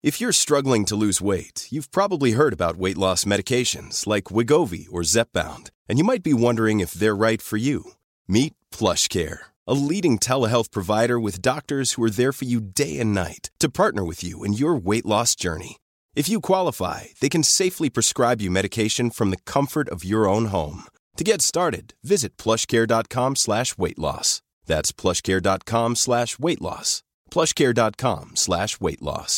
If you're struggling to lose weight, you've probably heard about weight loss medications like Wegovy or Zepbound, and you might be wondering if they're right for you. Meet PlushCare, a leading telehealth provider with doctors who are there for you day and night to partner with you in your weight loss journey. If you qualify, they can safely prescribe you medication from the comfort of your own home. To get started, visit plushcare.com/weightloss. That's plushcare.com/weightloss. plushcare.com/weightloss.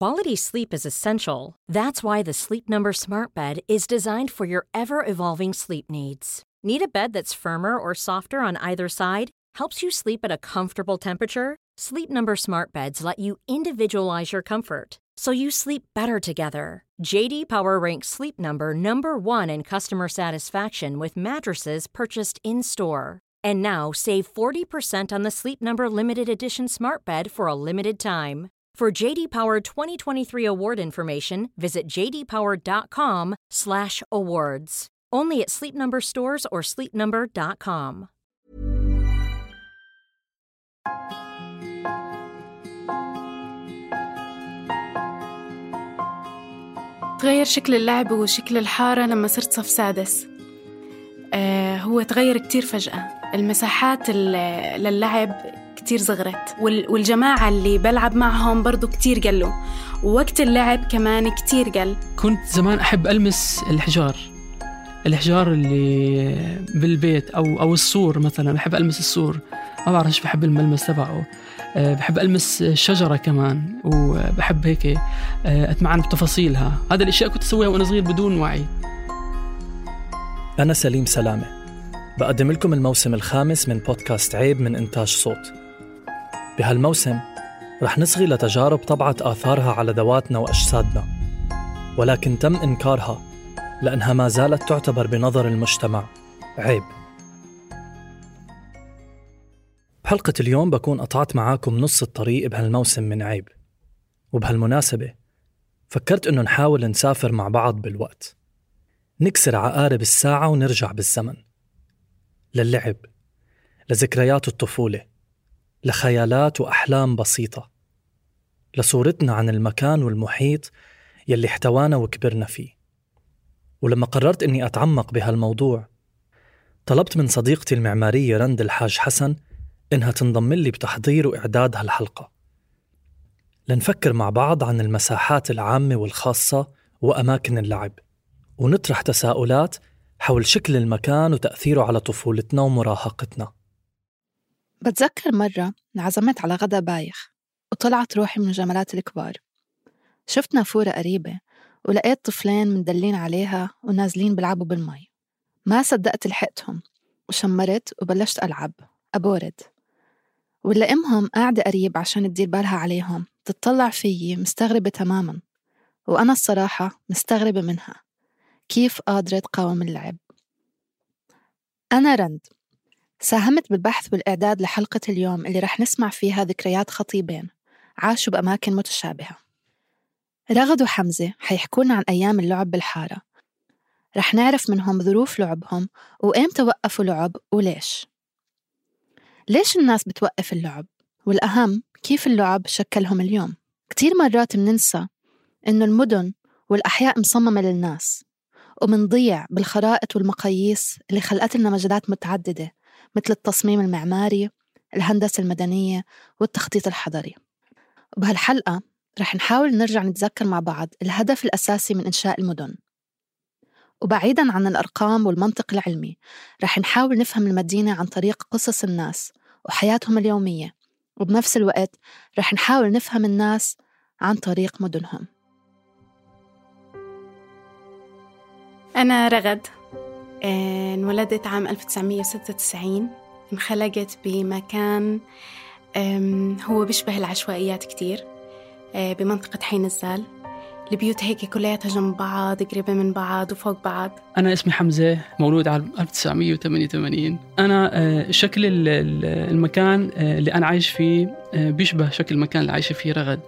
Quality sleep is essential. That's why the Sleep Number Smart Bed is designed for your ever-evolving sleep needs. Need a bed that's firmer or softer on either side? Helps you sleep at a comfortable temperature? Sleep Number Smart Beds let you individualize your comfort, so you sleep better together. J.D. Power ranks Sleep Number #1 in customer satisfaction with mattresses purchased in-store. And now save 40% on the Sleep Number Limited Edition Smart Bed for a limited time. For J.D. Power 2023 award information, visit jdpower.com/awards. Only at Sleep Number stores or sleepnumber.com. تغير شكل اللعب وشكل الحارة لما صرت صف سادس. هو تغير كتير فجأة. المساحات للعب كتير صغرت، والجماعة اللي بلعب معهم برضو كتير قلوا، ووقت اللعب كمان كتير قل. كنت زمان أحب ألمس الحجار اللي بالبيت أو السور مثلا، بحب ألمس السور، ما بعرفش بحب الملمس تبعه. بحب ألمس الشجرة كمان، وبحب هيك أتمعن بتفاصيلها. هذا الأشياء كنت أسويها وأنا صغير بدون وعي. أنا سليم سلامة، بقدم لكم الموسم الخامس من بودكاست عيب من إنتاج صوت. بهالموسم رح نصغي لتجارب طبعت آثارها على ذواتنا وأجسادنا، ولكن تم إنكارها لأنها ما زالت تعتبر بنظر المجتمع عيب. بحلقة اليوم بكون قطعت معاكم نص الطريق بهالموسم من عيب، وبهالمناسبة فكرت إنه نحاول نسافر مع بعض بالوقت، نكسر عقارب الساعة ونرجع بالزمن للعب، لذكريات الطفولة، لخيالات وأحلام بسيطة، لصورتنا عن المكان والمحيط يلي احتوانا وكبرنا فيه. ولما قررت إني أتعمق بهالموضوع، طلبت من صديقتي المعمارية رند الحاج حسن إنها تنضم لي بتحضير وإعداد هالحلقة، لنفكر مع بعض عن المساحات العامة والخاصة وأماكن اللعب، ونطرح تساؤلات حول شكل المكان وتأثيره على طفولتنا ومراهقتنا. بتذكر مرة انعزمت على غدا بايخ، وطلعت روحي من جمالات الكبار. شفت نافورة قريبة ولقيت طفلين مندلين عليها ونازلين بلعبوا بالمي. ما صدقت لحقتهم، وشمرت وبلشت ألعب أبورد، ولا أمهم قاعدة قريب عشان تدير بالها عليهم تتطلع فيي مستغربة تماماً، وأنا الصراحة مستغربة منها كيف قادرة تقاوم اللعب. أنا رند، ساهمت بالبحث والإعداد لحلقة اليوم اللي رح نسمع فيها ذكريات خطيبين عاشوا بأماكن متشابهة. رغد وحمزة حيحكونا عن أيام اللعب بالحارة، رح نعرف منهم ظروف لعبهم وإمتى وقفوا لعب وليش. ليش الناس بتوقف اللعب؟ والأهم كيف اللعب شكلهم اليوم. كتير مرات مننسى إنه المدن والأحياء مصممة للناس، ومنضيع بالخرائط والمقاييس اللي خلقت لنا مجالات متعددة مثل التصميم المعماري، الهندسة المدنية، والتخطيط الحضري. وبهالحلقة رح نحاول نرجع نتذكر مع بعض الهدف الأساسي من إنشاء المدن، وبعيداً عن الأرقام والمنطق العلمي رح نحاول نفهم المدينة عن طريق قصص الناس وحياتهم اليومية، وبنفس الوقت رح نحاول نفهم الناس عن طريق مدنهم. أنا رغد، انولدت عام 1996. انخلقت بمكان هو بيشبه العشوائيات كتير، بمنطقة حين الزال. البيوت هيك كلياتها جنب بعض، قريبة من بعض وفوق بعض. أنا اسمي حمزة، مولود عام 1988. أنا شكل المكان اللي أنا عايش فيه بيشبه شكل المكان اللي عايش فيه رغد.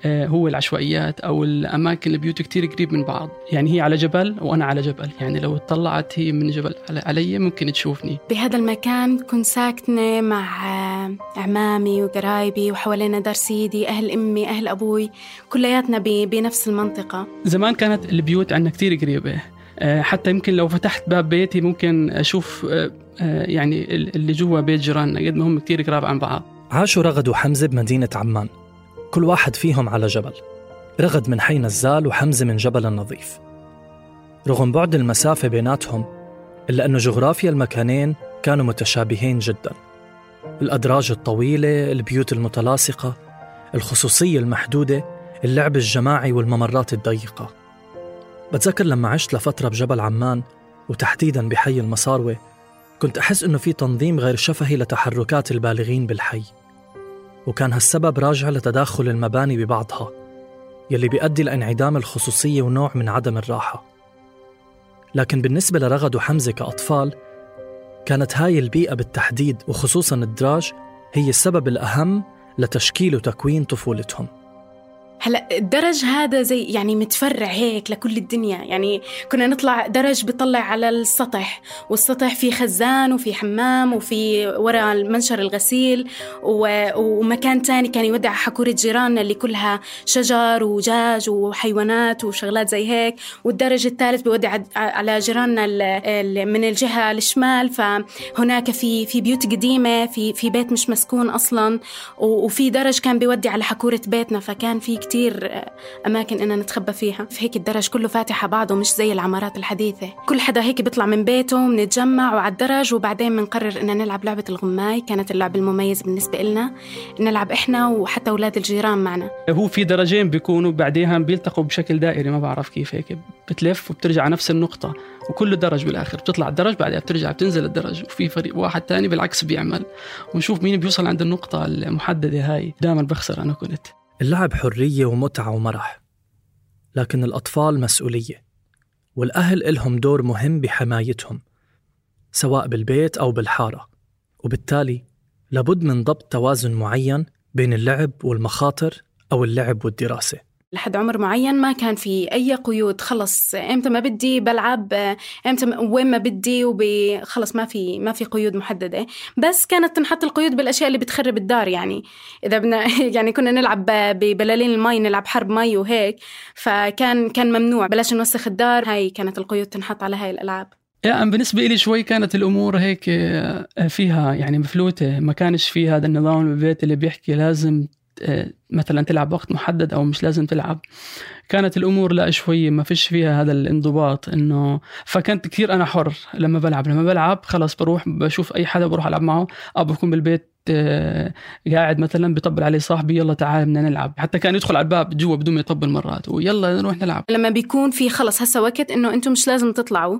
هو العشوائيات أو الأماكن البيوت كتير قريب من بعض، يعني هي على جبل وأنا على جبل، يعني لو اطلعت هي من جبل علي ممكن تشوفني. بهذا المكان كنت ساكنة مع عمامي وقرايبي، وحوالينا دار سيدي، أهل أمي، أهل أبوي، كلياتنا بنفس المنطقة. زمان كانت البيوت عندنا كتير قريبة، حتى يمكن لو فتحت باب بيتي ممكن أشوف يعني اللي جوا بيت جيراننا، قد ما هم كتير قراب عن بعض. عاشوا رغد وحمزة بمدينة عمان، كل واحد فيهم على جبل، رغد من حي نزال وحمزة من جبل النظيف. رغم بعد المسافة بيناتهم إلا أنه جغرافيا المكانين كانوا متشابهين جدا. الأدراج الطويلة، البيوت المتلاصقة، الخصوصية المحدودة، اللعب الجماعي والممرات الضيقة. بتذكر لما عشت لفترة بجبل عمان وتحديداً بحي المصاروة، كنت أحس إنه في تنظيم غير شفهي لتحركات البالغين بالحي، وكان هالسبب راجع لتداخل المباني ببعضها يلي بيؤدي لانعدام الخصوصية ونوع من عدم الراحة. لكن بالنسبة لرغد وحمزة كأطفال، كانت هاي البيئة بالتحديد وخصوصاً الدراج هي السبب الأهم لتشكيل وتكوين طفولتهم. هلا الدرج هذا زي يعني متفرع هيك لكل الدنيا، يعني كنا نطلع درج بيطلع على السطح، والسطح فيه خزان وفي حمام وفي وراء المنشر الغسيل، ومكان تاني كان يودع حكورة جيراننا اللي كلها شجر وجاج وحيوانات وشغلات زي هيك، والدرج الثالث بيودع على جيراننا من الجهة الشمال. فهناك في بيوت قديمة، في بيت مش مسكون أصلا، وفي درج كان بيودع على حكورة بيتنا، فكان في كتير أماكن إننا نتخبى فيها. في هيك الدرج كله فاتحة بعضه، مش زي العمارات الحديثة. كل حدا هيك بيطلع من بيته، بنتجمع وعلى الدرج، وبعدين بنقرر إننا نلعب لعبة الغماي. كانت اللعبة المميزة بالنسبة لنا، نلعب إحنا وحتى أولاد الجيران معنا. هو في درجين بيكونوا بعديها بيلتقوا بشكل دائري، ما بعرف كيف، هيك بتلف وبترجع على نفس النقطة، وكل درج بالآخر بتطلع الدرج بعدها بترجع بتنزل الدرج، وفي فريق واحد تاني بالعكس بيعمل، ونشوف مين بيوصل عند النقطة المحددة هاي. دائما بخسر أنا كنت. اللعب حرية ومتعة ومرح، لكن الأطفال مسؤولية، والأهل إلهم دور مهم بحمايتهم سواء بالبيت أو بالحارة، وبالتالي لابد من ضبط توازن معين بين اللعب والمخاطر أو اللعب والدراسة. لحد عمر معين ما كان في أي قيود، خلص إمتى ما بدي بلعب، إمتى وين ما بدي، خلص ما في قيود محددة. بس كانت تنحط القيود بالأشياء اللي بتخرب الدار، يعني إذا بدنا يعني كنا نلعب ببلالين المي، نلعب حرب مي وهيك، فكان ممنوع، بلاش نوسخ الدار. هاي كانت القيود تنحط على هاي الألعاب. يعني بالنسبة لي شوي كانت الأمور هيك فيها يعني مفلوتة، ما كانش فيه هذا النظام بالبيت اللي بيحكي لازم مثلا تلعب وقت محدد أو مش لازم تلعب. كانت الأمور لا شوي ما فيش فيها هذا الانضباط، إنه فكنت كثير أنا حر لما بلعب خلاص بروح بشوف أي حدا بروح ألعب معه، أو بكون بالبيت قاعد مثلا بيطبل علي صاحبي يلا تعال بدنا نلعب، حتى كان يدخل على الباب جوا بدون ما يطبل مرات ويلا نروح نلعب. لما بيكون في خلص هسا وقت إنه أنتم مش لازم تطلعوا،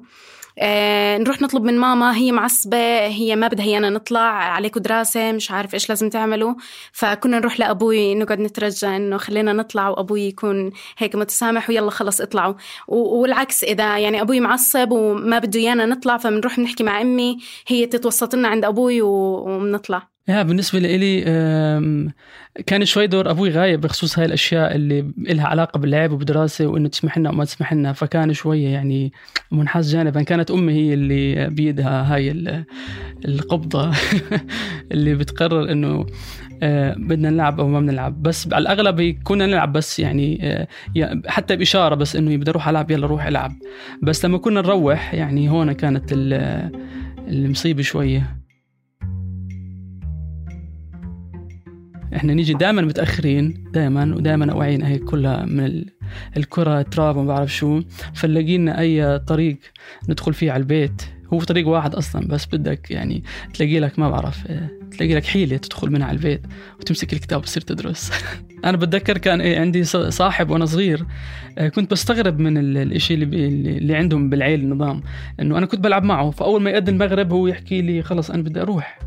نروح نطلب من ماما، هي معصبة، هي ما بدها هينا نطلع، عليكم دراسة، مش عارف إيش لازم تعملوا. فكنا نروح لأبوي نقعد نترجى إنه خلينا نطلع، وأبوي يكون هيك متسامح ويلا خلص اطلعوا. والعكس، إذا يعني أبوي معصب وما بده يانا نطلع، فبنروح نحكي مع أمي، هي تتوسط لنا عند أبوي وبنطلع. بالنسبة لي كان شوي دور أبوي غايب بخصوص هاي الأشياء اللي إلها علاقة باللعب وبدراسة، وإنه تسمح لنا وما تسمح لنا، فكان شوية يعني منحاز جانبا. كانت أمي هي اللي بيدها هاي القبضة اللي بتقرر إنه بدنا نلعب أو ما بنلعب. بس على الأغلب كنا نلعب، بس يعني حتى بإشارة بس إنه بدي أروح ألعب يلا روح ألعب. بس لما كنا نروح يعني هون كانت المصيبة شوية. احنا نيجي دائما متأخرين، ودائما أوعينا هيك كلها من الكرة تراب وما بعرف شو، فنلاقينا أي طريق ندخل فيه على البيت. هو طريق واحد أصلا، بس بدك يعني تلاقي لك ما بعرف تلاقي لك حيلة تدخل منها على البيت وتمسك الكتاب وتصير تدرس. أنا بتذكر كان عندي صاحب وأنا صغير، كنت بستغرب من الإشي اللي عندهم بالعيل النظام، إنه أنا كنت بلعب معه، فأول ما يأذن المغرب هو يحكي لي خلص أنا بدي أروح،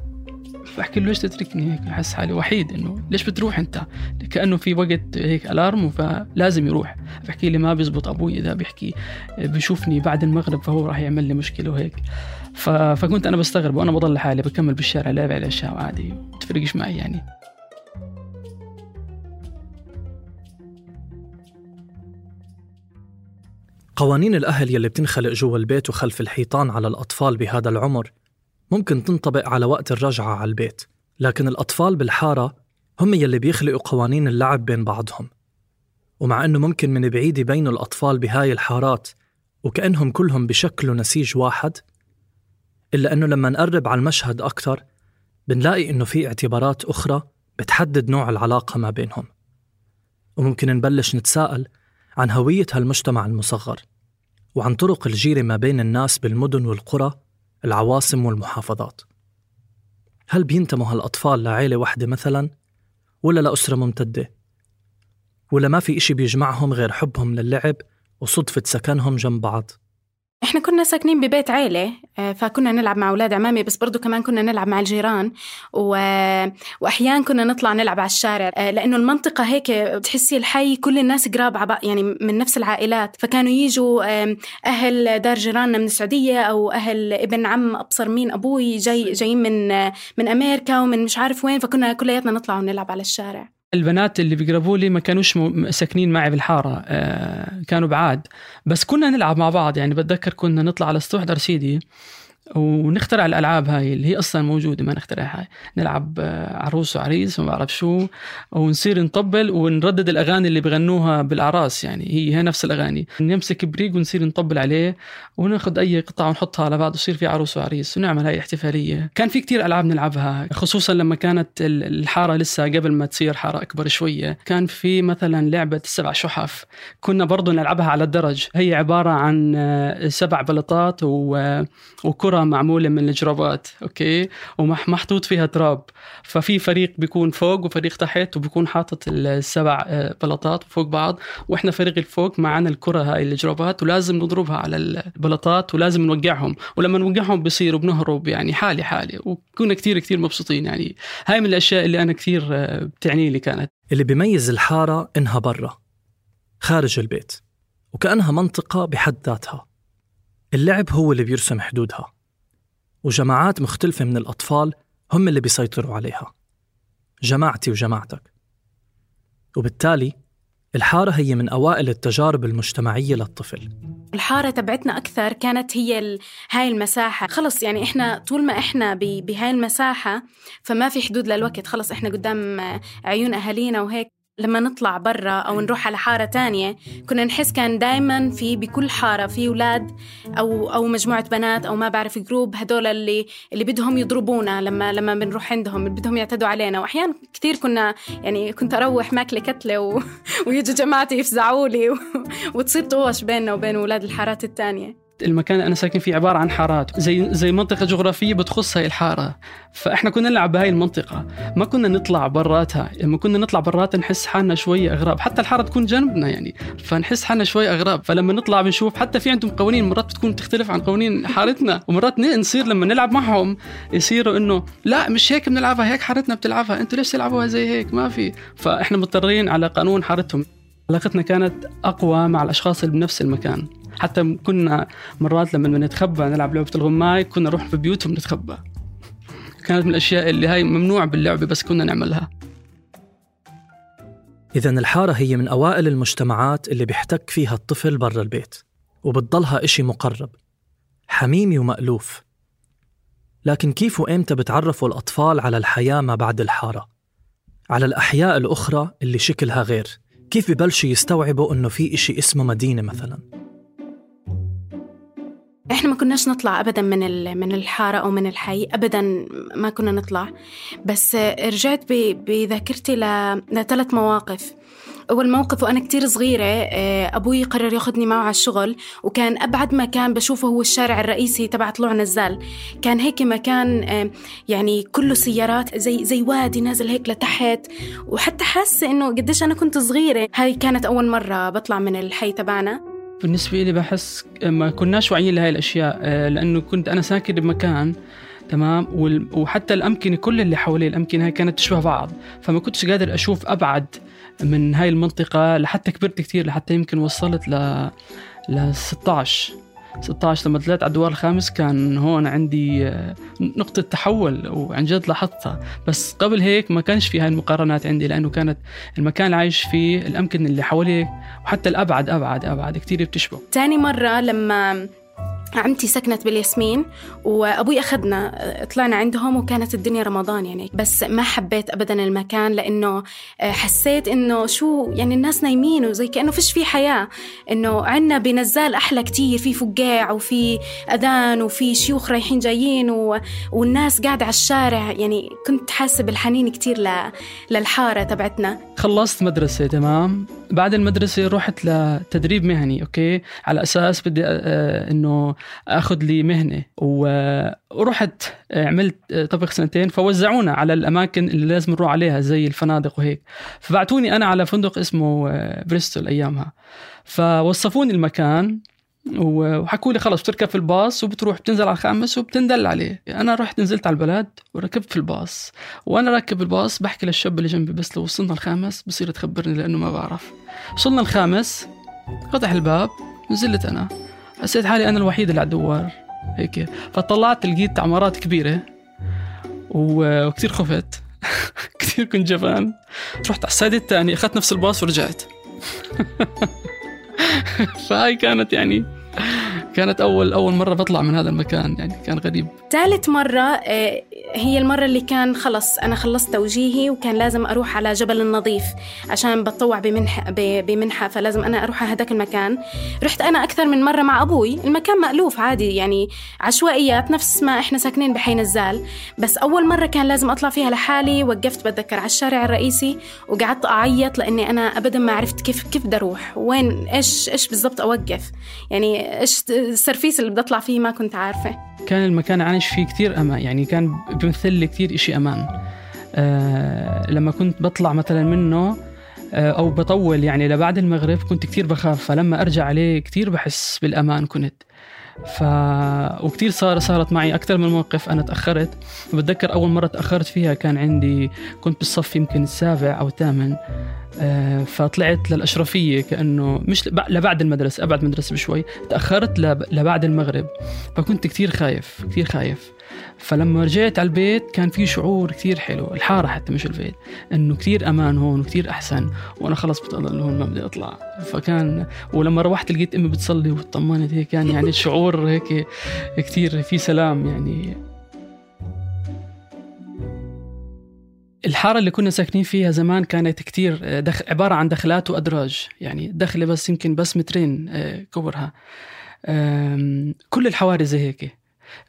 فأحكي له ليش تتركني هيك، أحس حالي وحيد، إنه ليش بتروح أنت، كأنه في وقت هيك ألارم فلازم يروح. فأحكي لي ما بيزبط أبوي إذا بيحكي بيشوفني بعد المغرب فهو راح يعمل لي مشكلة وهيك. فكنت أنا بستغرب، وأنا بضل حالي بكمل بالشارع لعب على الأشياء عادي، تفرقش معي يعني. قوانين الأهل يلي بتنخلق جوا البيت وخلف الحيطان على الأطفال بهذا العمر ممكن تنطبق على وقت الرجعة على البيت لكن الأطفال بالحارة هم يلي بيخلقوا قوانين اللعب بين بعضهم. ومع أنه ممكن من بعيد يبينوا الأطفال بهاي الحارات وكأنهم كلهم بشكلوا نسيج واحد، إلا أنه لما نقرب على المشهد أكتر بنلاقي أنه في اعتبارات أخرى بتحدد نوع العلاقة ما بينهم. وممكن نبلش نتساءل عن هوية هالمجتمع المصغر وعن طرق الجيرة ما بين الناس بالمدن والقرى، العواصم والمحافظات. هل بينتموا هالأطفال لعائلة واحدة مثلاً، ولا لأسرة ممتدة، ولا ما في إشي بيجمعهم غير حبهم للعب وصدفة سكنهم جنب بعض؟ إحنا كنا ساكنين ببيت عائلة، فكنا نلعب مع أولاد عمامي، بس برضو كمان كنا نلعب مع الجيران وأحيان كنا نطلع نلعب على الشارع، لأنه المنطقة هيك بتحسي الحي كل الناس قراب يعني من نفس العائلات. فكانوا يجوا أهل دار جيراننا من السعودية أو أهل ابن عم أبصر مين أبوي جايين من أمريكا ومن مش عارف وين، فكنا كلياتنا نطلع ونلعب على الشارع. البنات اللي بيقربوا لي ما كانوش ساكنين معي بالحارة، كانوا بعاد، بس كنا نلعب مع بعض. يعني بتذكر كنا نطلع على سطوح درسيدي ونخترع الألعاب هاي اللي هي أصلا موجودة، ما نخترعها، نلعب عروس وعريس وما بعرف شو، ونصير نطبل ونردد الأغاني اللي بغنوها بالأعراس. يعني هي نفس الأغاني، نمسك بريق ونصير نطبل عليه وناخد أي قطعة ونحطها على بعض وصير في عروس وعريس ونعمل هاي احتفالية. كان في كتير ألعاب نلعبها، خصوصا لما كانت الحارة لسه قبل ما تصير حارة أكبر شوية. كان في مثلا لعبة 7 شحف كنا برضو نلعبها على الدرج. هي عبارة عن 7 بلطات وكرة معمولة من الجرابات، أوكي، ومحطوط فيها تراب. ففي فريق بيكون فوق وفريق تحت، وبيكون حاطط 7 بلطات فوق بعض، وإحنا فريق الفوق معنا الكرة هاي الجرابات، ولازم نضربها على البلطات ولازم نوقعهم، ولما نوقعهم بيصيروا بنهرب. يعني حالي وكنا كتير مبسوطين. يعني هاي من الأشياء اللي أنا كتير بتعني لي. كانت اللي بيميز الحارة إنها برا خارج البيت، وكأنها منطقة بحد ذاتها. اللعب هو اللي بيرسم حدودها، وجماعات مختلفة من الأطفال هم اللي بيسيطروا عليها، جماعتي وجماعتك. وبالتالي الحارة هي من أوائل التجارب المجتمعية للطفل. الحارة تبعتنا أكثر كانت هي هاي المساحة. خلص يعني إحنا طول ما إحنا بهاي المساحة فما في حدود للوقت، خلص إحنا قدام عيون أهالينا وهيك. لما نطلع برا أو نروح على حارة تانية كنا نحس كان دايما بكل حارة في أولاد أو مجموعة بنات أو ما بعرف جروب، هدول اللي بدهم يضربونا لما بنروح عندهم، اللي بدهم يعتدوا علينا. وأحيان كتير كنت أروح ماكلة كتلة ويجوا جماعتي يفزعوا لي وتصير طوش بيننا وبين أولاد الحارات التانية. المكان اللي أنا ساكن فيه عبارة عن حارات، زي منطقة جغرافية بتخص هاي الحارة. فإحنا كنا نلعب بهاي المنطقة، ما كنا نطلع براتها. لما كنا نطلع براتها نحس حالنا شوية أغراب، حتى الحارة تكون جنبنا يعني، فنحس حالنا شوية أغراب. فلما نطلع بنشوف حتى في عندهم قوانين مرات بتكون تختلف عن قوانين حارتنا، ومرات نصير لما نلعب معهم يصيروا إنه لا مش هيك بنلعبها، هيك حارتنا بتلعبها، أنتوا ليش تلعبوها زي هيك؟ ما في. فإحنا مضطرين على قانون حارتهم. علاقتنا كانت أقوى مع الأشخاص اللي بنفس المكان. حتى كنا مرات لما نتخبى نلعب لعبة الغماي كنا نروح في بيوتهم نتخبى. كانت من الأشياء اللي هاي ممنوع باللعبة بس كنا نعملها. إذن الحارة هي من أوائل المجتمعات اللي بيحتك فيها الطفل برا البيت، وبتضلها إشي مقرب حميمي ومألوف. لكن كيف وإمتى بتعرفوا الأطفال على الحياة ما بعد الحارة، على الأحياء الأخرى اللي شكلها غير؟ كيف ببلشوا يستوعبوا إنه في إشي اسمه مدينة مثلاً؟ إحنا ما كناش نطلع أبداً من الحارة أو من الحي، أبداً ما كنا نطلع. بس رجعت بذاكرتي ل3 مواقف. أول موقف وأنا كتير صغيرة، أبوي قرر ياخدني معه على الشغل، وكان أبعد مكان بشوفه هو الشارع الرئيسي تبع طلوع نزال. كان هيك مكان يعني كله سيارات، زي وادي نازل هيك لتحت، وحتى حاسة إنه قديش أنا كنت صغيرة. هاي كانت أول مرة بطلع من الحي تبعنا. بالنسبة لي بحس ما كناش واعيين لهاي الأشياء، لأنه كنت أنا ساكن بمكان تمام، وحتى الأمكنة كل اللي حوالي الأمكنة هاي كانت تشبه بعض، فما كنتش قادر أشوف أبعد من هاي المنطقة. لحتى كبرت كتير، لحتى يمكن وصلت ل 16 لما طلعت على الدوار الخامس كان هون عندي نقطة تحول، وعن جد لاحظتها. بس قبل هيك ما كانش في هاي المقارنات عندي، لأنه كانت المكان اللي عايش فيه الأمكنة اللي حواليه وحتى الأبعد أبعد كتير بتشبه. تاني مرة لما عمتي سكنت بالياسمين وأبوي أخذنا طلعنا عندهم، وكانت الدنيا رمضان يعني. بس ما حبيت أبدا المكان، لأنه حسيت إنه شو يعني الناس نايمين وزي كأنه فيش فيه حياة. إنه عنا بنزال أحلى كتير، في فقاع وفي أذان وفي شيوخ رايحين جايين والناس قاعدة على الشارع. يعني كنت حاسة بالحنين كتير للحارة تبعتنا. خلصت مدرسة تمام. بعد المدرسة رحت لتدريب مهني أوكي، على أساس بدي إنه أخذ لي مهنة، ورحت عملت طبق 2 فوزعونا على الأماكن اللي لازم نروح عليها زي الفنادق وهيك. فبعتوني أنا على فندق اسمه بريستول أيامها، فوصفوني المكان وحكوا لي خلص بتركب في الباص وبتروح بتنزل على الخامس وبتندل عليه. أنا رحت نزلت على البلد وركبت في الباص، وأنا راكب الباص بحكي للشاب اللي جنبي بس لو وصلنا الخامس بصير تخبرني لأنه ما بعرف. وصلنا الخامس، فتح الباب، نزلت أنا، حسيت حالي أنا الوحيد اللي على الدوار هيك. فطلعت لقيت عمارات كبيرة وكتير خفت كتير كنت جبان. رحت على السايد الثاني، أخذت نفس الباص ورجعت. فهاي كانت يعني كانت أول مرة بطلع من هذا المكان، يعني كان غريب. ثالث مرة هي المرة اللي كان خلص أنا خلصت توجيهي وكان لازم أروح على جبل النظيف عشان بتطوع بمنحة، فلازم أنا أروح على هداك المكان. رحت أنا أكثر من مرة مع أبوي. المكان مألوف عادي يعني عشوائيات نفس ما إحنا ساكنين بحي نزال، بس أول مرة كان لازم أطلع فيها لحالي. وقفت بتذكر على الشارع الرئيسي وقعدت أعيط لأني أنا أبدا ما عرفت كيف بدي أروح وين، إيش بالضبط أوقف، يعني إيش السرفيس اللي بدي أطلع فيه ما كنت عارفة. كان المكان عايش فيه كتير أمان، يعني كان بيمثل لي كتير إشي أمان. لما كنت بطلع مثلا منه أو بطول يعني لبعد المغرب كنت كتير بخاف، فلما أرجع عليه كتير بحس بالأمان كنت. وكتير صارت معي أكتر من موقف. أنا تأخرت، بتذكر أول مرة تأخرت فيها كنت بالصف يمكن 7 أو 8، فطلعت للأشرفية كأنه مش لبعد المدرسة، أبعد مدرسة بشوي. تأخرت لبعد المغرب، فكنت كتير خايف. فلما رجعت على البيت كان في شعور كتير حلو، الحارة حتى مش البيت، إنه كتير أمان هون وكتير أحسن، وأنا خلص بتضل هون ما بدي أطلع. فكان ولما روحت لقيت أمي بتصلي وطمنت هيك، كان يعني الشعور هيك كتير في سلام. يعني الحارة اللي كنا ساكنين فيها زمان كانت كتير عبارة عن دخلات وأدراج، يعني دخلة بس يمكن بس 2 متر كبرها. كل الحواري زي هيك،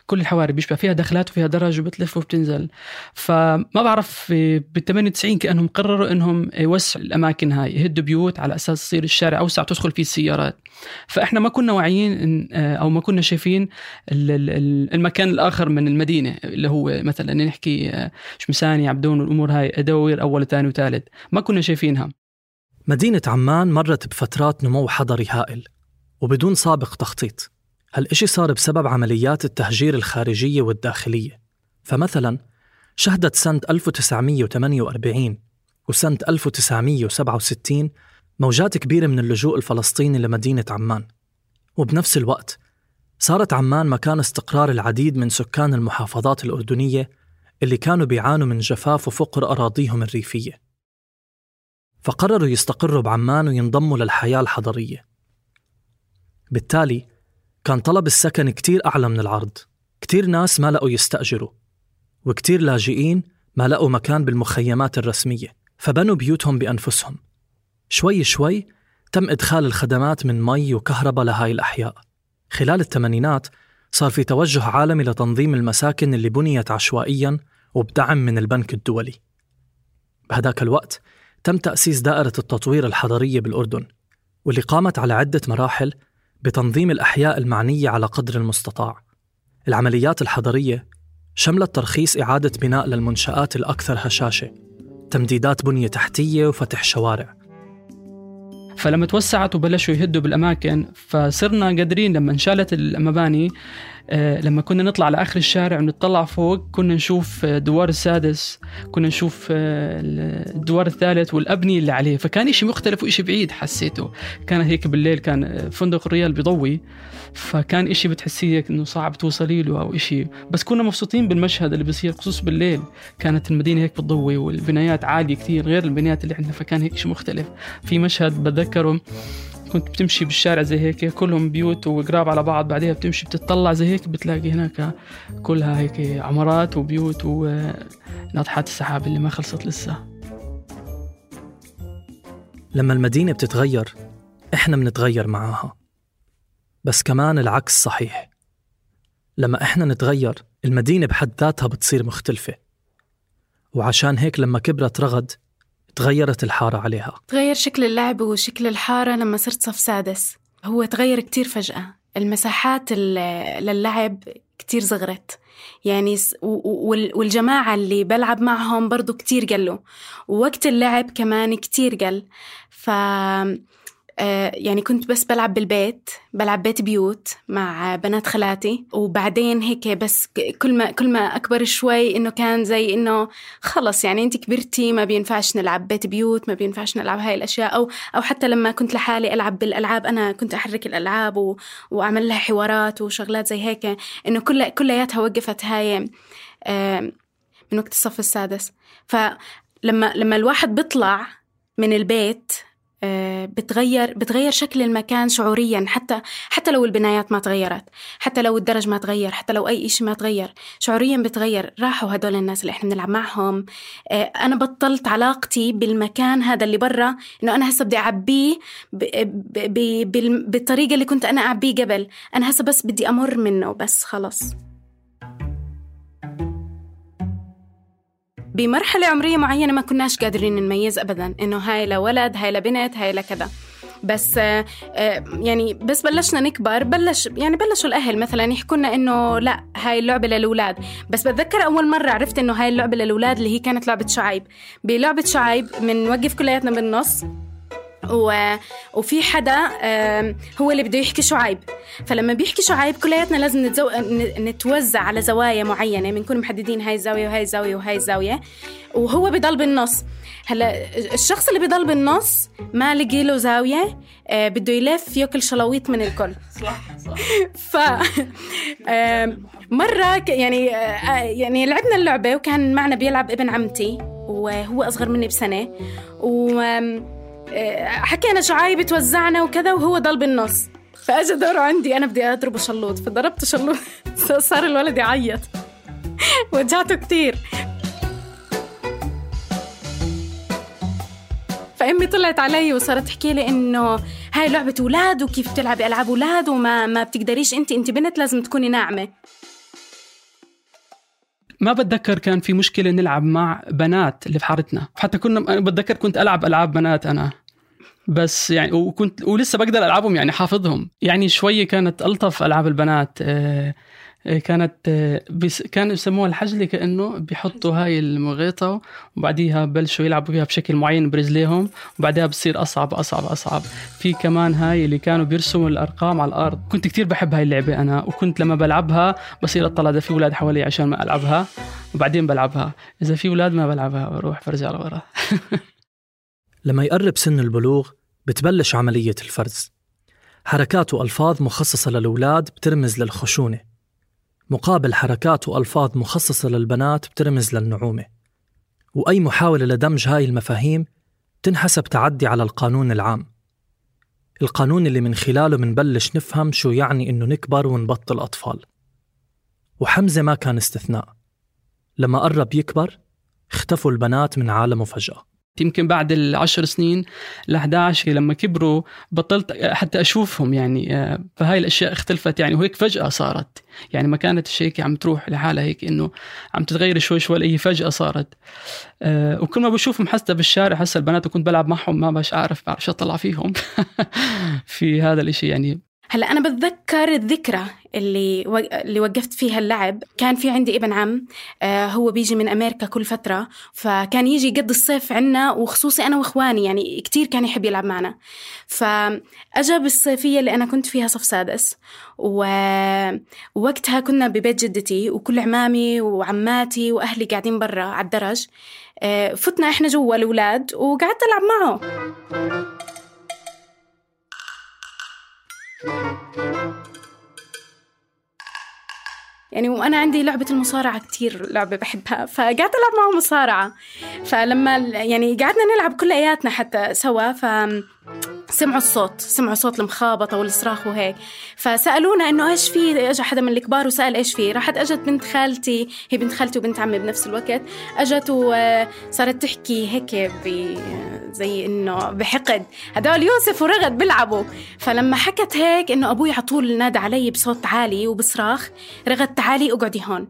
كل الحواري بيشبه فيها دخلات وفيها درج وبتلف وبتنزل. فما بعرف بال98 كأنهم قرروا إنهم يوسعوا الأماكن هاي، يهدوا بيوت على أساس يصير الشارع أوسع تدخل فيه السيارات. فإحنا ما كنا واعيين أو ما كنا شايفين المكان الآخر من المدينة، اللي هو مثلا نحكي شمساني، عبدون والأمور هاي، أدوير أول وثاني وثالث، ما كنا شايفينها. مدينة عمان مرت بفترات نمو حضري هائل وبدون سابق تخطيط. هالإشي صار بسبب عمليات التهجير الخارجية والداخلية. فمثلا شهدت سنة 1948 وسنة 1967 موجات كبيرة من اللجوء الفلسطيني لمدينة عمان، وبنفس الوقت صارت عمان مكان استقرار العديد من سكان المحافظات الأردنية اللي كانوا بيعانوا من جفاف وفقر أراضيهم الريفية، فقرروا يستقروا بعمان وينضموا للحياة الحضرية. بالتالي كان طلب السكن كتير أعلى من العرض، كتير ناس ما لقوا يستأجروا، وكتير لاجئين ما لقوا مكان بالمخيمات الرسمية، فبنوا بيوتهم بأنفسهم. شوي شوي تم إدخال الخدمات من مي وكهرباء لهاي الأحياء. خلال الثمانينات صار في توجه عالمي لتنظيم المساكن اللي بنيت عشوائياً وبدعم من البنك الدولي. بهداك الوقت تم تأسيس دائرة التطوير الحضرية بالأردن، واللي قامت على عدة مراحل بتنظيم الأحياء المعنية على قدر المستطاع. العمليات الحضرية شملت ترخيص إعادة بناء للمنشآت الأكثر هشاشة، تمديدات بنية تحتية وفتح شوارع. فلما توسعت وبلشوا يهدوا بالأماكن، فصرنا قادرين لما انشالت المباني، لما كنا نطلع لآخر الشارع ونطلع فوق كنا نشوف الدوار السادس، كنا نشوف الدوار الثالث والأبنية اللي عليه. فكان إشي مختلف وإشي بعيد حسيته. كان هيك بالليل كان فندق الريال بيضوي، فكان إشي بتحسيه إنه صعب توصلي له أو إشي، بس كنا مبسوطين بالمشهد اللي بيصير خصوص بالليل. كانت المدينة هيك بتضوي والبنايات عالية كتير غير البنايات اللي عندنا، فكان هيك إشي مختلف. في مشهد بتذكره كنت بتمشي بالشارع زي هيك كلهم بيوت وقراب على بعض، بعدها بتمشي بتطلع زي هيك بتلاقي هناك كلها هيك عمارات وبيوت وناطحات السحاب اللي ما خلصت لسه. لما المدينة بتتغير إحنا بنتغير معاها، بس كمان العكس صحيح. لما إحنا نتغير المدينة بحد ذاتها بتصير مختلفة، وعشان هيك لما كبرت رغد تغيرت الحارة عليها. تغير شكل اللعب وشكل الحارة لما صرت صف سادس. هو تغير كتير فجأة، المساحات للعب كتير صغرت يعني، والجماعة اللي بلعب معهم برضو كتير قلوا، ووقت اللعب كمان كتير قل. يعني كنت بس بلعب بالبيت، بلعب بيت بيوت مع بنات خالاتي، وبعدين هيك بس كل ما أكبر شوي إنه كان زي إنه خلص يعني أنت كبرتي، ما بينفعش نلعب بيت بيوت، ما بينفعش نلعب هاي الأشياء. أو حتى لما كنت لحالي ألعب بالألعاب، أنا كنت أحرك الألعاب وأعمل لها حوارات وشغلات زي هيك، إنه كلياتها وقفت هاي من وقت الصف السادس. فلما الواحد بيطلع من البيت بتغير شكل المكان شعوريا، حتى لو البنايات ما تغيرت، حتى لو الدرج ما تغير، حتى لو أي إشي ما تغير، شعوريا بتغير. راحوا هدول الناس اللي إحنا بنلعب معهم. أنا بطلت علاقتي بالمكان هذا اللي برا، إنه أنا هسه بدي أعبيه بالطريقة اللي كنت أنا أعبيه قبل. أنا هسه بس بدي أمر منه بس خلاص. بمرحلة عمرية معينة ما كناش قادرين نميز أبداً إنه هاي لولد هاي لبنت هاي لكذا، بس يعني بس بلشنا نكبر، بلشوا الأهل مثلاً يحكونا إنه لا هاي اللعبة للأولاد. بس بتذكر أول مرة عرفت إنه هاي اللعبة للأولاد اللي هي كانت لعبة شعيب. بلعبة شعيب منوقف كلياتنا بالنص، وفي حدا هو اللي بده يحكي شعيب، فلما بيحكي شعيب كلياتنا لازم نتوزع على زوايا معينة، بنكون محددين هاي الزاوية وهاي الزاوية وهاي الزاوية، وهو بيضل بالنص. هلا الشخص اللي بيضل بالنص ما لقي له زاوية، بده يلف ياكل شلاويط من الكل. صح. ف مرة يعني لعبنا اللعبة، وكان معنا بيلعب ابن عمتي وهو أصغر مني بسنة، حكينا شعايب توزعنا وكذا، وهو ضل بالنص. فأجى دوره عندي، أنا بدي أضربه شلوط، فضربت شلوط صار الولد يعيط وجعته كتير. فأمي طلعت علي وصارت تحكي لي إنه هاي لعبة أولاد، وكيف بتلعبي ألعاب أولاد، وما بتقدريش، أنت بنت لازم تكوني ناعمة. ما بتذكر كان في مشكلة نلعب مع بنات اللي في حارتنا، حتى أنا بتذكر كنت ألعب ألعاب بنات أنا بس يعني، ولسه بقدر ألعبهم يعني حافظهم يعني شوية. كانت ألطف ألعاب البنات كانوا يسموها الحجلة، كأنه بيحطوا هاي المغيطة وبعديها بلشوا يلعبوا فيها بشكل معين برجليهم، وبعدها بصير أصعب أصعب أصعب. في كمان هاي اللي كانوا بيرسموا الأرقام على الأرض، كنت كتير بحب هاي اللعبة أنا، وكنت لما بلعبها بصير أطلع إذا في أولاد حوالي عشان ما ألعبها، وبعدين بلعبها. إذا في أولاد ما بلعبها، بروح برجع لورا. لما يقرب سن البلوغ بتبلش عملية الفرز. حركات وألفاظ مخصصة للأولاد بترمز للخشونة، مقابل حركات وألفاظ مخصصة للبنات بترمز للنعومة. وأي محاولة لدمج هاي المفاهيم تنحسب تعدي على القانون العام، القانون اللي من خلاله منبلش نفهم شو يعني إنه نكبر ونبطل أطفال. وحمزة ما كان استثناء. لما قرب يكبر اختفوا البنات من عالمه فجأة. يمكن بعد 10 سنين 11 لما كبروا بطلت حتى أشوفهم يعني، فهاي الأشياء اختلفت يعني، وهيك فجأة صارت يعني، ما كانت الشيء عم تروح لحالها هيك إنه عم تتغير شوي شوي، هي فجأة صارت. وكل ما بشوفهم حتى بالشارع هسه البنات وكنت بلعب معهم ما باش أعرف أطلع فيهم في هذا الاشي يعني. هلأ أنا بتذكر الذكرى اللي وقفت فيها اللعب. كان في عندي ابن عم، هو بيجي من أمريكا كل فترة، فكان يجي يقضي الصيف عنا، وخصوصي أنا وإخواني يعني كتير كان يحب يلعب معنا. فأجا بالصيفية اللي أنا كنت فيها صف سادس، ووقتها كنا ببيت جدتي، وكل عمامي وعماتي وأهلي قاعدين برا على الدرج. فتنا إحنا جوا الأولاد وقعدت ألعب معه. يعني وأنا عندي لعبة المصارعة كتير لعبة بحبها، فقعدت ألعب معه مصارعة. فلما يعني قعدنا نلعب كل آياتنا حتى سوا، سمعوا صوت المخابطة والصراخ وهيك. فسألونا إنه إيش في، أجا حدا من الكبار وسأل إيش في. راحت أجت بنت خالتي، هي بنت خالتي وبنت عمي بنفس الوقت، أجت وصارت تحكي هيك زي إنه بحقد، هدول يوسف ورغد بيلعبوا. فلما حكت هيك إنه أبوي عطول نادى علي بصوت عالي وبصراخ: رغد تعالي اقعدي هون.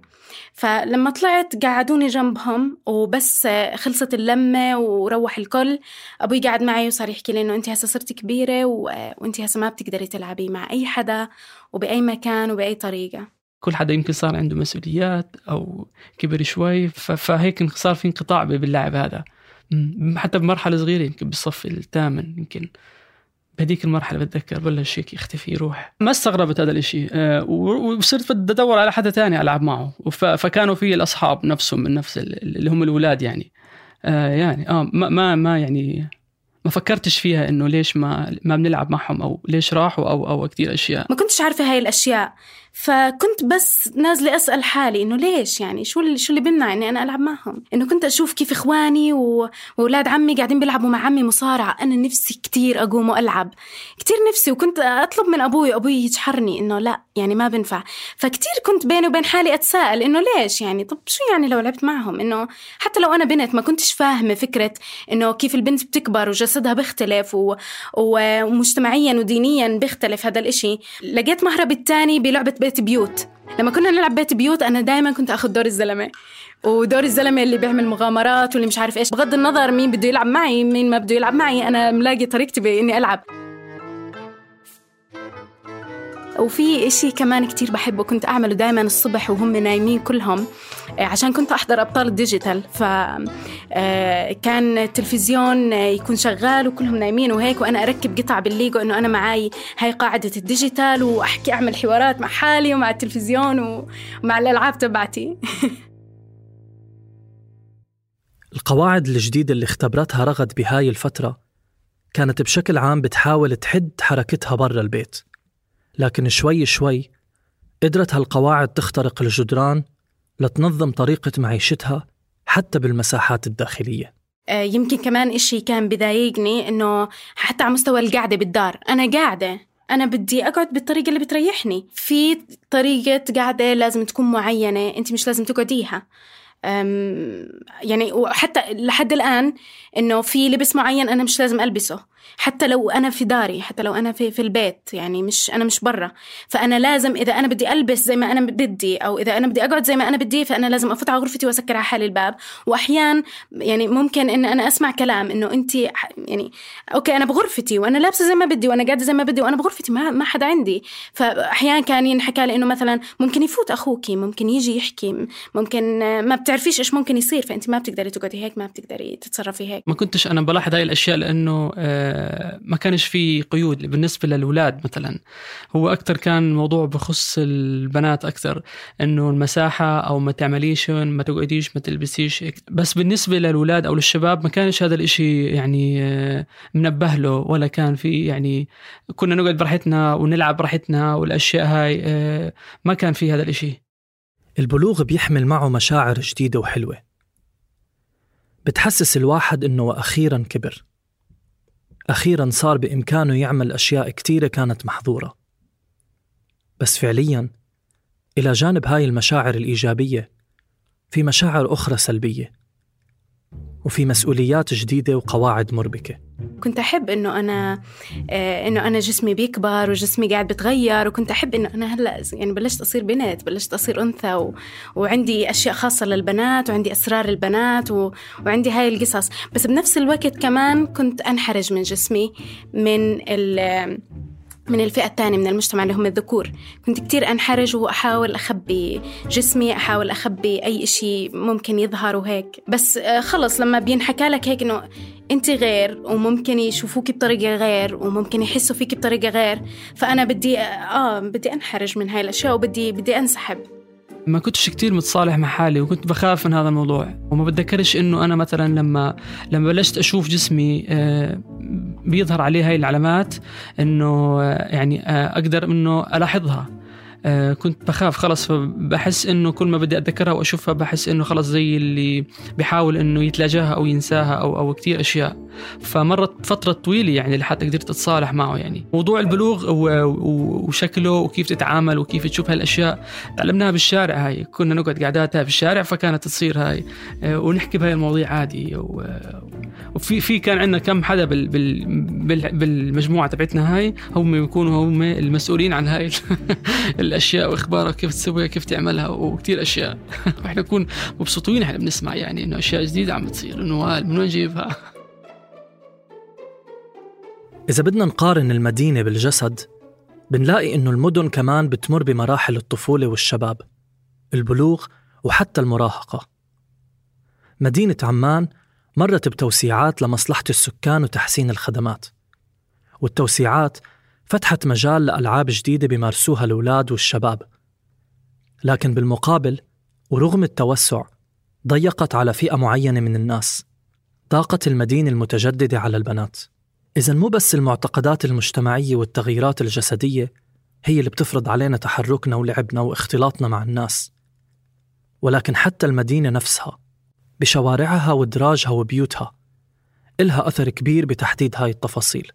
فلما طلعت قعدوني جنبهم، وبس خلصت اللمة وروح الكل، أبوي قاعد معي وصار يحكي لي إنه أنت هسه صرت كبيرة وأنت هسه ما بتقدري تلعبي مع أي حدا وبأي مكان وبأي طريقة. كل حدا يمكن صار عنده مسؤوليات أو كبر شوي، فهيك صار في انقطاع باللعب هذا، حتى بمرحلة صغيرة يمكن بالصف الثامن. يمكن بهديك المرحلة بتذكر بلش هيك يختفي يروح. ما استغربت هذا الاشي، وصرت بدي أدور على حدا تاني ألعب معه. فكانوا في الأصحاب نفسهم من نفس اللي هم الأولاد يعني. ما فكرتش فيها إنه ليش ما بنلعب معهم أو ليش راحوا أو كتير أشياء ما كنتش عارفة هاي الأشياء. فكنت بس نازلة أسأل حالي إنه ليش، يعني شو اللي بمنع إني أنا ألعب معهم. إنه كنت أشوف كيف إخواني وأولاد عمي قاعدين بيلعبوا مع عمي مصارعة، أنا نفسي كتير أقوم وألعب، كتير نفسي. وكنت أطلب من أبوي يجحرني إنه لا يعني ما بنفع. فكتير كنت بيني وبين حالي أتساءل إنه ليش، يعني طب شو يعني لو لعبت معهم. إنه حتى لو أنا بنت ما كنتش فاهمة فكرة إنه كيف البنت بتكبر وجسدها بيختلف ومجتمعيا ودينيا بيختلف هذا الإشي. لقيت مهرب التاني بلعبة بيت بيوت. لما كنا نلعب بيت بيوت أنا دايما كنت أخذ دور الزلمة، ودور الزلمة اللي بيعمل مغامرات واللي مش عارف إيش، بغض النظر مين بده يلعب معي مين ما بده يلعب معي، أنا ملاقي طريقتي بإني ألعب. وفي إشي كمان كتير بحبه كنت أعمله دايما الصبح وهم نايمين كلهم، عشان كنت أحضر أبطال الديجيتال. فكان التلفزيون يكون شغال وكلهم نايمين وهيك، وأنا أركب قطع بالليجو إنه أنا معاي هاي قاعدة الديجيتال، وأحكي أعمل حوارات مع حالي ومع التلفزيون ومع الألعاب تبعتي. القواعد الجديدة اللي اختبرتها رغد بهاي الفترة كانت بشكل عام بتحاول تحد حركتها برا البيت، لكن شوي شوي قدرت هالقواعد تخترق الجدران لتنظم طريقة معيشتها حتى بالمساحات الداخلية. يمكن كمان إشي كان بضايقني إنه حتى على مستوى القعدة بالدار، أنا قاعدة أنا بدي أقعد بالطريقة اللي بتريحني، في طريقة قاعدة لازم تكون معينة، أنت مش لازم تقعديها. يعني وحتى لحد الآن إنه في لبس معين أنا مش لازم ألبسه، حتى لو أنا في داري، حتى لو أنا في البيت، يعني أنا مش برا. فأنا لازم إذا أنا بدي ألبس زي ما أنا بدي، أو إذا أنا بدي أقعد زي ما أنا بدي، فأنا لازم أفوت على غرفتي وأسكر على حالي الباب. وأحيان يعني ممكن إن أنا أسمع كلام إنه أنت يعني أوكي أنا بغرفتي وأنا لابسة زي ما بدي وأنا قاعدة زي ما بدي وأنا بغرفتي ما حدا عندي. فأحيان كان ينحكى لي إنه مثلا ممكن يفوت أخوكي، ممكن يجي يحكي، ممكن ما بتعرفيش إيش ممكن يصير، فأنت ما بتقدري تقعدي هيك، ما بتقدري تتصرفي هيك. ما كنتش أنا بلاحظ هاي الأشياء لأنه ما كانش في قيود بالنسبة للأولاد. مثلا هو أكتر كان موضوع بخص البنات أكتر، إنه المساحة أو ما تعمليش ما تقعديش ما تلبسيش. بس بالنسبة للأولاد أو للشباب ما كانش هذا الإشي يعني منبه له، ولا كان في يعني كنا نقعد براحتنا ونلعب براحتنا والأشياء هاي، ما كان في هذا الإشي. البلوغ بيحمل معه مشاعر جديدة وحلوة، بتحسس الواحد إنه أخيراً كبر، أخيراً صار بإمكانه يعمل أشياء كتيرة كانت محظورة. بس فعلياً إلى جانب هاي المشاعر الإيجابية في مشاعر أخرى سلبية، وفي مسؤوليات جديدة وقواعد مربكة. كنت أحب إنه أنا جسمي بيكبر وجسمي قاعد بتغير، وكنت أحب إنه أنا هلأ يعني بلشت أصير بنت، بلشت أصير أنثى، وعندي أشياء خاصة للبنات وعندي أسرار البنات وعندي هاي القصص. بس بنفس الوقت كمان كنت أنحرج من جسمي من الفئة الثانية من المجتمع اللي هم الذكور. كنت كتير أنحرج وأحاول أخبي جسمي، أحاول أخبي أي إشي ممكن يظهر وهيك. بس خلص لما بينحكى لك هيك إنه أنت غير، وممكن يشوفوك بطريقة غير، وممكن يحسوا فيك بطريقة غير، فأنا بدي أنحرج من هاي الأشياء وبدي أنسحب. ما كنتش كتير متصالح مع حالي، وكنت بخاف من هذا الموضوع، وما بتذكرش إنه أنا مثلا لما بلشت أشوف جسمي بيظهر عليه هاي العلامات، إنه يعني أقدر إنه ألاحظها. كنت بخاف خلص، بحس إنه كل ما بدي أتذكرها وأشوفها بحس إنه خلص زي اللي بيحاول إنه يتلاجاها أو ينساها أو كتير أشياء. فمرت فترة طويلة يعني لحتى قدرت أتصالح معه. يعني موضوع البلوغ وشكله وكيف تتعامل وكيف تشوف هالأشياء تعلمناها بالشارع. هاي كنا نقعد قعداتها في الشارع فكانت تصير هاي ونحكي بهاي المواضيع عادي. وفي كان عندنا كم حدا بالمجموعة تبعتنا هاي هم يكونوا هم المسؤولين عن هاي الأشياء وإخبارها كيف تسويها كيف تعملها وكتير أشياء. وإحنا نكون مبسوطين إحنا بنسمع يعني إنه أشياء جديدة عم تصير، إنه من وين نجيبها. إذا بدنا نقارن المدينة بالجسد بنلاقي إنه المدن كمان بتمر بمراحل الطفولة والشباب، البلوغ وحتى المراهقة. مدينة عمان مرت بتوسيعات لمصلحة السكان وتحسين الخدمات، والتوسيعات فتحت مجال لألعاب جديدة بيمارسوها الأولاد والشباب. لكن بالمقابل ورغم التوسع ضيقت على فئة معينة من الناس. ضاقت المدينة المتجددة على البنات. إذن مو بس المعتقدات المجتمعية والتغييرات الجسدية هي اللي بتفرض علينا تحركنا ولعبنا واختلاطنا مع الناس، ولكن حتى المدينة نفسها بشوارعها ودراجها وبيوتها إلها أثر كبير بتحديد هاي التفاصيل.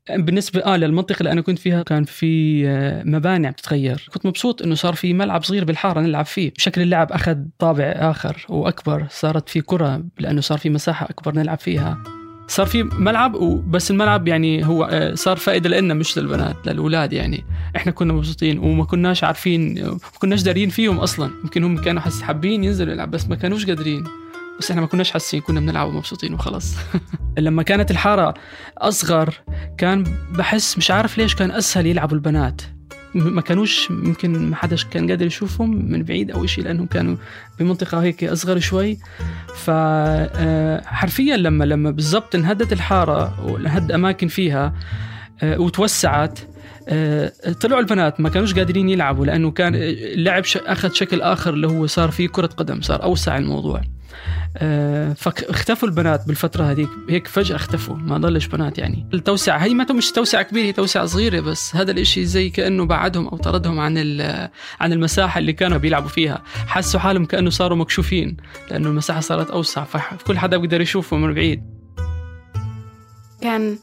بالنسبة للمنطقة اللي أنا كنت فيها كان في مباني عم تتغير. كنت مبسوط إنه صار في ملعب صغير بالحارة نلعب فيه. شكل اللعب أخذ طابع آخر وأكبر، صارت في كرة لأنه صار في مساحة أكبر نلعب فيها. صار في ملعب بس الملعب يعني هو صار فائدة لنا مش للبنات للأولاد. يعني إحنا كنا مبسوطين وما كناش عارفين ما كناش دارين فيهم أصلا. يمكن هم كانوا حابين ينزلوا يلعب بس ما كانوش قادرين، بس إحنا ما كناش حاسين، كنا بنلعب ومبسوطين وخلاص. لما كانت الحارة أصغر كان بحس مش عارف ليش كان أسهل يلعبوا البنات. ما كانوش يمكن ما حدش كان قادر يشوفهم من بعيد أو إشي لأنهم كانوا بمنطقة هيك أصغر شوي. فحرفيا لما بالضبط انهدت الحارة وانهد أماكن فيها وتوسعت طلعوا البنات ما كانوش قادرين يلعبوا لأنه كان اللعب أخذ شكل آخر اللي هو صار فيه كرة قدم، صار أوسع الموضوع. فاختفوا البنات بالفترة هذيك هيك فجأة اختفوا، ما ضلش بنات. يعني التوسعة هي ما مش توسعة كبيرة، هي توسعة صغيرة، بس هذا الاشي زي كأنه بعدهم أو طردهم عن المساحة اللي كانوا بيلعبوا فيها. حسوا حالهم كأنه صاروا مكشوفين لأنه المساحة صارت أوسع، فكل حدا بيقدر يشوفه من بعيد. كان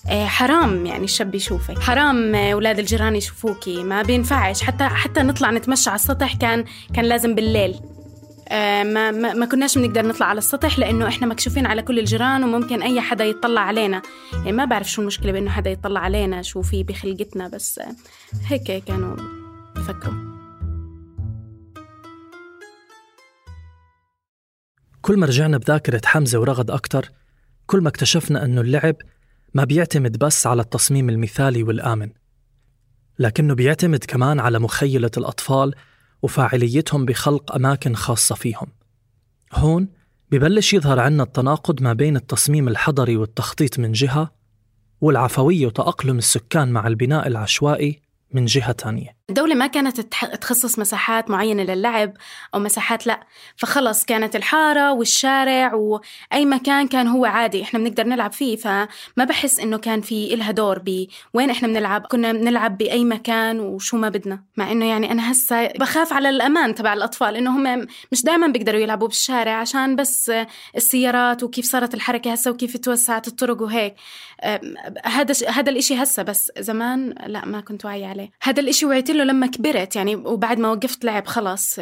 حرام يعني الشاب يشوفك، حرام أولاد الجيران يشوفوكي، ما بينفعش حتى نطلع نتمشى على السطح. كان لازم بالليل. ما كناش بنقدر نطلع على السطح لأنه إحنا مكشوفين على كل الجيران وممكن أي حدا يطلع علينا. يعني ما بعرف شو المشكلة بأنه حدا يطلع علينا، شو في بخلقتنا، بس هيك كانوا بفكروا. كل ما رجعنا بذاكرة حمزة ورغد أكتر، كل ما اكتشفنا أنه اللعب ما بيعتمد بس على التصميم المثالي والآمن، لكنه بيعتمد كمان على مخيلة الأطفال وفاعليتهم بخلق أماكن خاصة فيهم. هون ببلش يظهر عنا التناقض ما بين التصميم الحضري والتخطيط من جهة، والعفوية وتأقلم السكان مع البناء العشوائي من جهة تانية. الدولة ما كانت تخصص مساحات معينة للعب أو مساحات، لا، فخلص كانت الحارة والشارع وأي مكان كان هو عادي إحنا بنقدر نلعب فيه. فما بحس إنه كان في إلها دور بوين إحنا بنلعب. كنا بنلعب بأي مكان وشو ما بدنا. مع إنه يعني أنا هسا بخاف على الأمان تبع الأطفال، إنه هم مش دائما بيقدروا يلعبوا بالشارع عشان بس السيارات وكيف صارت الحركة هسا وكيف توسعت الطرق وهيك. هذا الإشي هسا، بس زمان لا، ما كنت واعي عليه. هذا الإشي وعيت له لما كبرت يعني، وبعد ما وقفت لعب خلاص.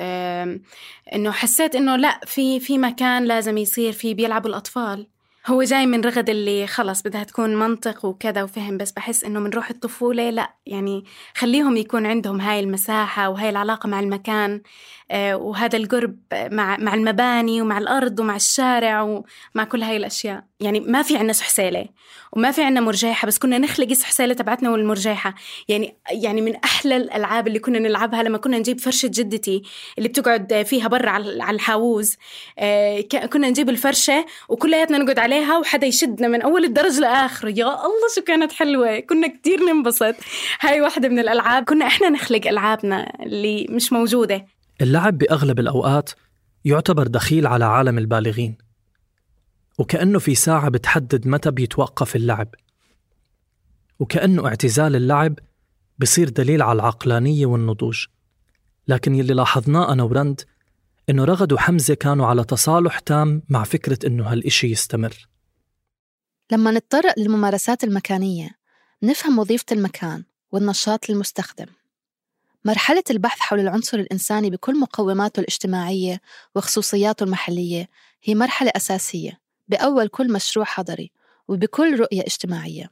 إنه حسيت إنه لا، في مكان لازم يصير فيه بيلعبوا الأطفال. هو جاي من رغد اللي خلاص بدها تكون منطق وكذا وفهم، بس بحس إنه من روح الطفولة لا، يعني خليهم يكون عندهم هاي المساحة وهاي العلاقة مع المكان وهذا القرب مع المباني ومع الأرض ومع الشارع ومع كل هاي الأشياء. يعني ما في عنا سحسالة وما في عنا مرجيحة، بس كنا نخلق السحسالة تبعتنا والمرجيحة. يعني من أحلى الألعاب اللي كنا نلعبها لما كنا نجيب فرشة جدتي اللي بتقعد فيها برا على الحاوز. كنا نجيب الفرشة وكلياتنا نقعد عليها وحدا يشدنا من أول الدرج لآخر. يا الله شو كانت حلوة، كنا كتير ننبسط. هاي واحدة من الألعاب كنا إحنا نخلق ألعابنا اللي مش موجودة. اللعب بأغلب الأوقات يعتبر دخيل على عالم البالغين، وكأنه في ساعة بتحدد متى بيتوقف اللعب، وكأنه اعتزال اللعب بصير دليل على العقلانية والنضوج. لكن يلي لاحظناه أنا ورند إنه رغد وحمزة كانوا على تصالح تام مع فكرة إنه هالإشي يستمر. لما نتطرق للممارسات المكانية نفهم وظيفة المكان والنشاط للمستخدم. مرحلة البحث حول العنصر الإنساني بكل مقوماته الاجتماعية وخصوصياته المحلية هي مرحلة أساسية بأول كل مشروع حضري وبكل رؤية اجتماعية.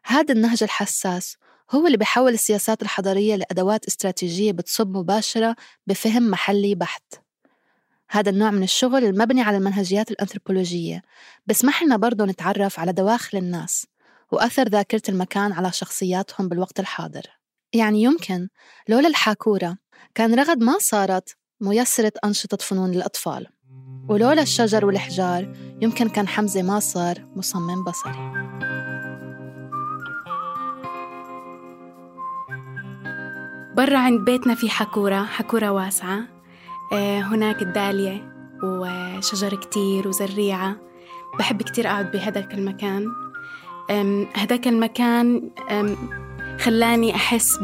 هذا النهج الحساس هو اللي بيحول السياسات الحضرية لأدوات استراتيجية بتصب مباشرة بفهم محلي بحت. هذا النوع من الشغل المبني على المنهجيات الأنثروبولوجية بسمح لنا برضو نتعرف على دواخل الناس وأثر ذاكرة المكان على شخصياتهم بالوقت الحاضر. يعني يمكن لولا الحاكورة كان رغد ما صارت ميسرة أنشطة فنون للأطفال، ولولا الشجر والحجار يمكن كان حمزة ما صار مصمم بصري. برا عند بيتنا في حكورة واسعة، هناك الدالية وشجر كتير وزريعة. بحب كتير أقعد بهداك المكان. هداك المكان خلاني أحس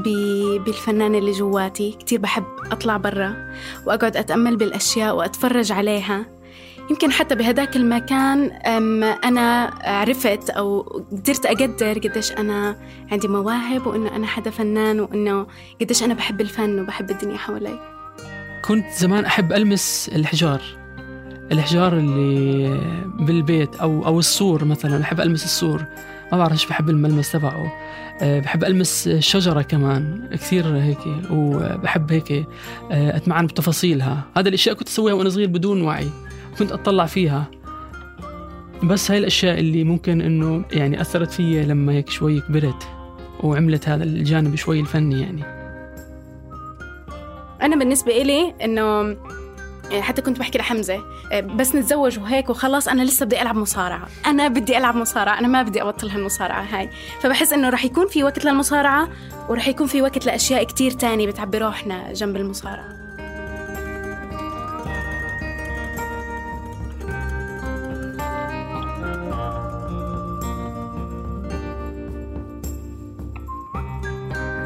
بالفنان اللي جواتي. كتير بحب أطلع برا وأقعد أتأمل بالأشياء وأتفرج عليها. يمكن حتى بهداك المكان أنا عرفت أو قدرت أقدر قديش أنا عندي مواهب وإنه أنا حدا فنان وإنه قديش أنا بحب الفن وبحب الدنيا حوالي. كنت زمان أحب ألمس الحجار اللي بالبيت أو السور مثلا. أحب ألمس السور، ما بعرفش بحب الملمس تبعه. بحب ألمس الشجرة كمان كثير هيك، وبحب هيك أتمعن بتفاصيلها. هذا الأشياء كنت أسويها وأنا صغير بدون وعي، كنت أطلع فيها. بس هاي الأشياء اللي ممكن إنه يعني أثرت فيا لما هيك شوي كبرت وعملت هذا الجانب شوي الفني. يعني أنا بالنسبة إلي إنه حتى كنت بحكي لحمزة بس نتزوج وهيك وخلاص أنا لسه بدي ألعب مصارعة، أنا بدي ألعب مصارعة، أنا ما بدي أبطل هالمصارعة هاي. فبحس إنه رح يكون في وقت للمصارعة ورح يكون في وقت لأشياء كتير تاني بتعبي روحنا جنب المصارعة.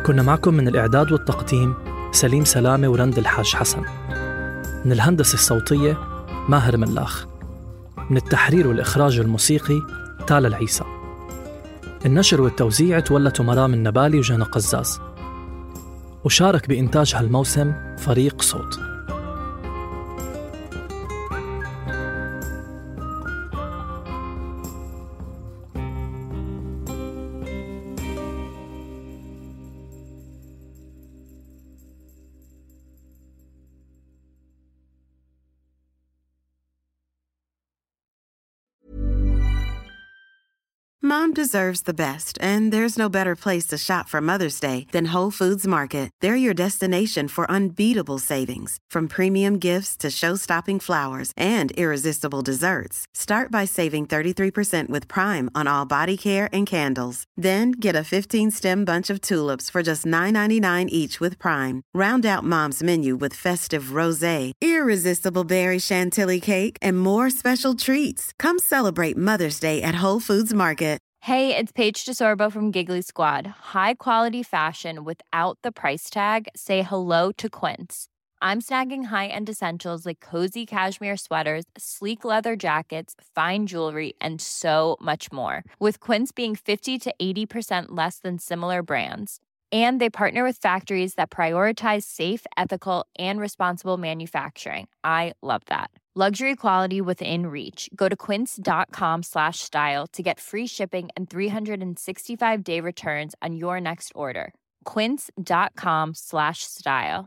كنا معكم من الإعداد والتقديم سليم سلامة ورند الحاج حسن، من الهندسة الصوتية ماهر ملاخ، من التحرير والإخراج الموسيقي تالا العيسى. النشر والتوزيع تولته مرام النبالي وجنى قزاز، وشارك بإنتاج هالموسم فريق صوت. Mom deserves the best, and there's no better place to shop for Mother's Day than Whole Foods Market. They're your destination for unbeatable savings, from premium gifts to show-stopping flowers and irresistible desserts. Start by saving 33% with Prime on all body care and candles. Then get a 15-stem bunch of tulips for just $9.99 each with Prime. Round out Mom's menu with festive rosé, irresistible berry chantilly cake, and more special treats. Come celebrate Mother's Day at Whole Foods Market. Hey, it's Paige DeSorbo from Giggly Squad. High quality fashion without the price tag. Say hello to Quince. I'm snagging high-end essentials like cozy cashmere sweaters, sleek leather jackets, fine jewelry, and so much more. With Quince being 50 to 80% less than similar brands. And they partner with factories that prioritize safe, ethical, and responsible manufacturing. I love that. Luxury quality within reach. Go to quince.com/style to get free shipping and 365-day returns on your next order. Quince.com/style.